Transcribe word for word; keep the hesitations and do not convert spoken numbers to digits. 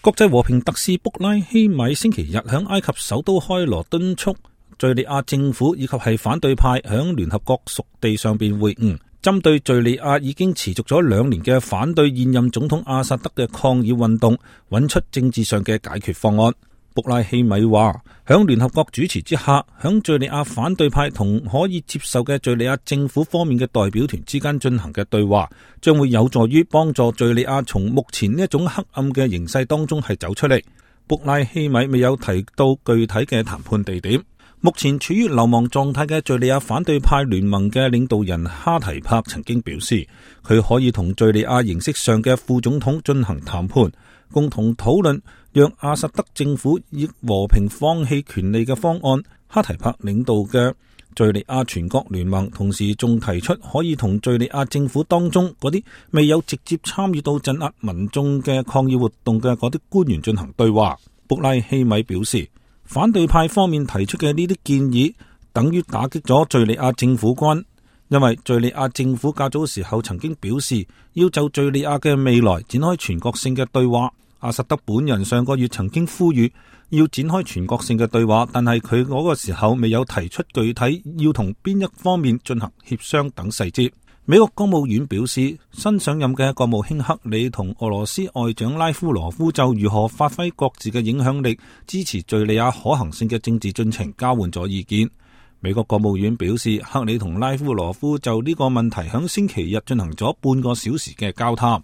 國際和平特使卜拉希米星期日響埃及首都開羅敦促敘利亞政府以及係反對派響聯合國屬地上邊會晤，針對敘利亞已經持續咗兩年嘅反對現任總統阿薩德嘅抗議運動，揾出政治上嘅解決方案。卜拉希米話，響聯合國主持之下，響敘利亞反對派同可以接受嘅敘利亞政府方面嘅代表團之間進行嘅對話，將會有助於幫助敘利亞從目前呢一種黑暗嘅形勢當中係走出嚟。卜拉希米未有提到具體嘅談判地點。目前處於流亡狀態嘅敘利亞反對派聯盟嘅領導人哈提帕曾經表示，佢可以同敘利亞形式上嘅副總統進行談判，共同討論讓阿薩德政府以和平放棄權力嘅方案。哈提帕領導嘅敘利亞全國聯盟同時仲提出可以同敘利亞政府當中嗰啲未有直接參與到鎮壓民眾嘅抗議活動嘅嗰啲官員進行對話。卜拉希米表示，反對派方面提出嘅呢啲建議等於打擊咗敘利亞政府軍，因為敘利亞政府較早時候曾經表示要就敘利亞嘅未來展開全國性嘅對話。阿薩德本人上個月曾經呼籲要展開全國性嘅對話，但係佢嗰個時候未有提出具體要同邊一方面進行協商等細節。美國國務院表示，新上任嘅國務卿克里同俄羅斯外長拉夫羅夫就如何發揮各自嘅影響力，支持敘利亞可行性嘅政治進程交換咗意見。美國國務院表示，克里同拉夫羅夫就呢個問題響星期日進行咗半個小時嘅交談。